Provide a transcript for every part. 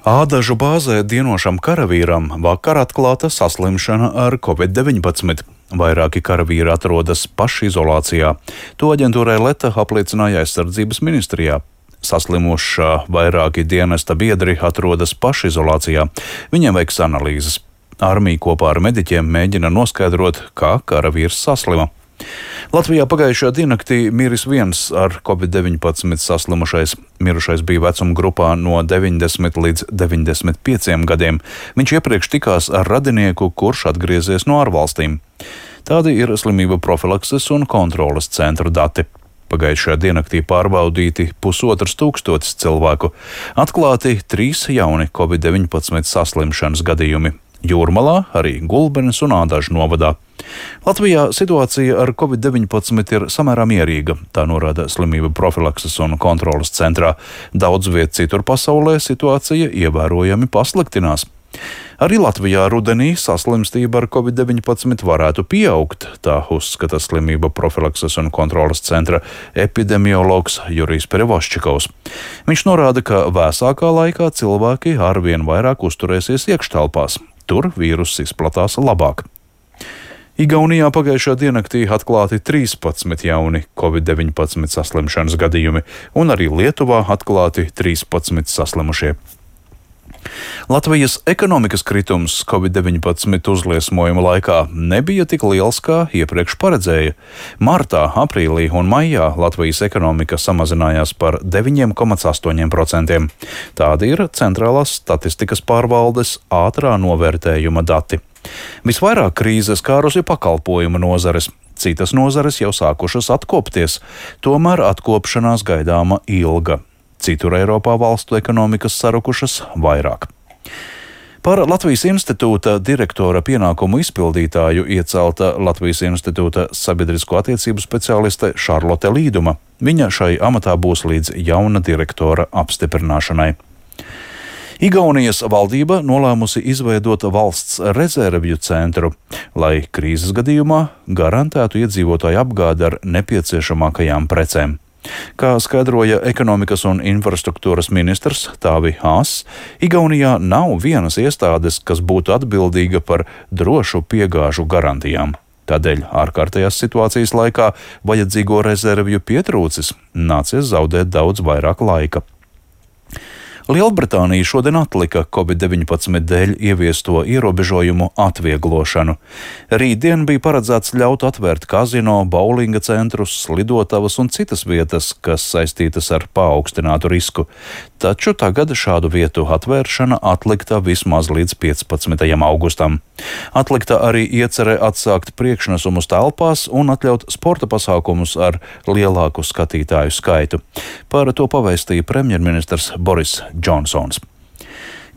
Ādažu bāzē dienošam karavīram vakar atklāta saslimšana ar Covid-19. Vairāki karavīri atrodas pašizolācijā. To aģentūrai Leta apliecināja aizsardzības ministrijā. Saslimušā vairāki dienesta biedri atrodas pašizolācijā. Viņiem veiks analīzes. Armija kopā ar mediķiem mēģina noskaidrot, kā karavīrs saslima. Latvijā pagājušajā diennaktī miris viens ar Covid-19 saslimušais. Mirušais bija vecuma grupā no 90 līdz 95 gadiem. Viņš iepriekš tikās ar radinieku, kurš atgriezies no ārvalstīm. Tādi ir slimību profilakses un kontroles centru dati. Pagājušajā diennaktī pārbaudīti 1500 cilvēku. Atklāti 3 jauni Covid-19 saslimšanas gadījumi. Jūrmalā, arī Gulbenes un Ādažu novadā. Latvijā situācija ar Covid-19 ir samērā mierīga, tā norāda slimību profilakses un kontroles centrā. Daudz viet citur pasaulē situācija ievērojami pasliktinās. Arī Latvijā rudenī saslimstība ar Covid-19 varētu pieaugt, tā uzskata slimību profilakses un kontroles centra epidemiologs Jurijs Perevoščikovs. Viņš norāda, ka vēsākā laikā cilvēki arvien vairāk uzturēsies iekštelpās. Tur vīruss izplatās labāk. Igaunijā pagājušā diennaktī atklāti 13 jauni Covid-19 saslimšanas gadījumi, un arī Lietuvā atklāti 13 saslimušie. Latvijas ekonomikas kritums Covid-19 uzliesmojuma laikā nebija tik liels, kā iepriekš paredzēja. Martā, aprīlī un maijā Latvijas ekonomika samazinājās par 9,8%. Tādi ir Centrālās statistikas pārvaldes ātrā novērtējuma dati. Visvairāk krīzes skārusi pakalpojumu nozares. Citas nozares jau sākušas atkopties, tomēr atkopšanās gaidāma ilga. Citur Eiropā valstu ekonomikas sarukušas vairāk. Par Latvijas institūta direktora pienākumu izpildītāju iecelta Latvijas institūta sabiedrisko attiecību speciāliste Šarlote Līduma. Viņa šai amatā būs līdz jauna direktora apstiprināšanai. Igaunijas valdība nolēmusi izveidot valsts rezervju centru, lai krīzes gadījumā garantētu iedzīvotāju apgādi ar nepieciešamākajām precēm. Kā skaidroja ekonomikas un infrastruktūras ministrs Tāvi Ās, Igaunijā nav vienas iestādes, kas būtu atbildīga par drošu piegāžu garantijām. Tādēļ ārkārtējās situācijas laikā vajadzīgo rezervju pietrūcis, nācies zaudēt daudz vairāk laika. Lielbritānija šodien atlika Covid-19 dēļ ieviesto ierobežojumu atvieglošanu. Rītdien bija paredzēts ļaut atvērt kazino, bowlinga centrus, lidotavas un citas vietas, kas saistītas ar paaugstinātu risku. Taču tagad šādu vietu atvēršana atlikta vismaz līdz 15. augustam. Atlikta arī iecerē atsākt priekšnesumus telpās un atļaut sporta pasākumus ar lielāku skatītāju skaitu. Par to pavēstīja premjerministrs Boris Džonsons.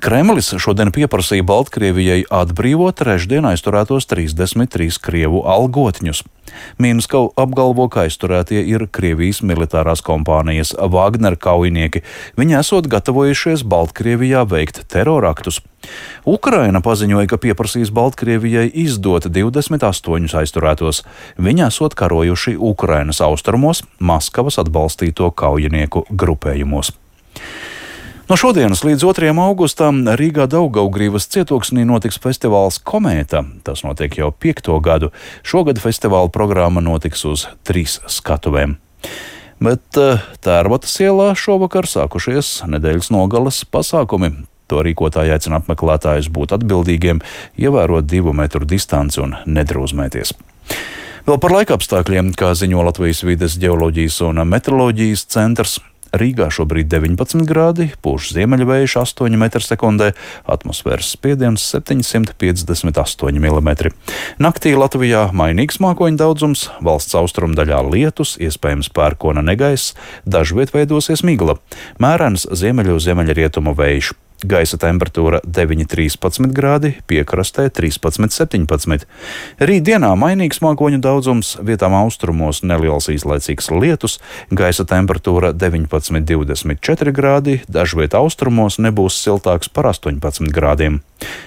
Kremlis šodien pieprasīja Baltkrievijai atbrīvot trešdien aizturētos 33 krievu algotņus. Minska apgalvo, ka aizturētie ir Krievijas militārās kompānijas Wagner kaujinieki. Viņi esot gatavojušies Baltkrievijā veikt teroraktus. Ukraina paziņoja, ka pieprasīs Baltkrievijai izdot 28 aizturētos. Viņi esot karojuši Ukrainas austrumos, Maskavas atbalstīto kaujinieku grupējumos. No šodienas līdz 2. augustam Rīgā Daugavgrīvas cietoksnī notiks festivāls Komēta. Tas notiek jau 5. gadu. Šogad festivāla programma notiks uz 3 skatuvēm. Bet Tērbatas ielā šovakar sākušies nedēļas nogales pasākumi. To rīkotāji aicina apmeklētājus būt atbildīgiem, ievērot 2 metru distanci un nedrūzmēties. Vēl par laikapstākļiem, kā ziņo Latvijas vides ģeoloģijas un meteoroloģijas centrs. Rīgā šobrīd 19 grādi, pūš ziemeļvējš 8 m/sekundē, atmosfēras spiediens 758 mm. Naktī Latvijā mainīgs mākoņu daudzums, valsts austrumu daļā lietus, iespējams pērkona negaiss, dažviet veidosies migla, mērens ziemeļrietumu vējš. Gaisa temperatūra 9,13 grādi, piekrastē 13,17. Rītdienā mainīgs mākoņu daudzums, vietām austrumos neliels īslaicīgs lietus, gaisa temperatūra 19,24 grādi, dažviet austrumos nebūs siltāks par 18 grādiem.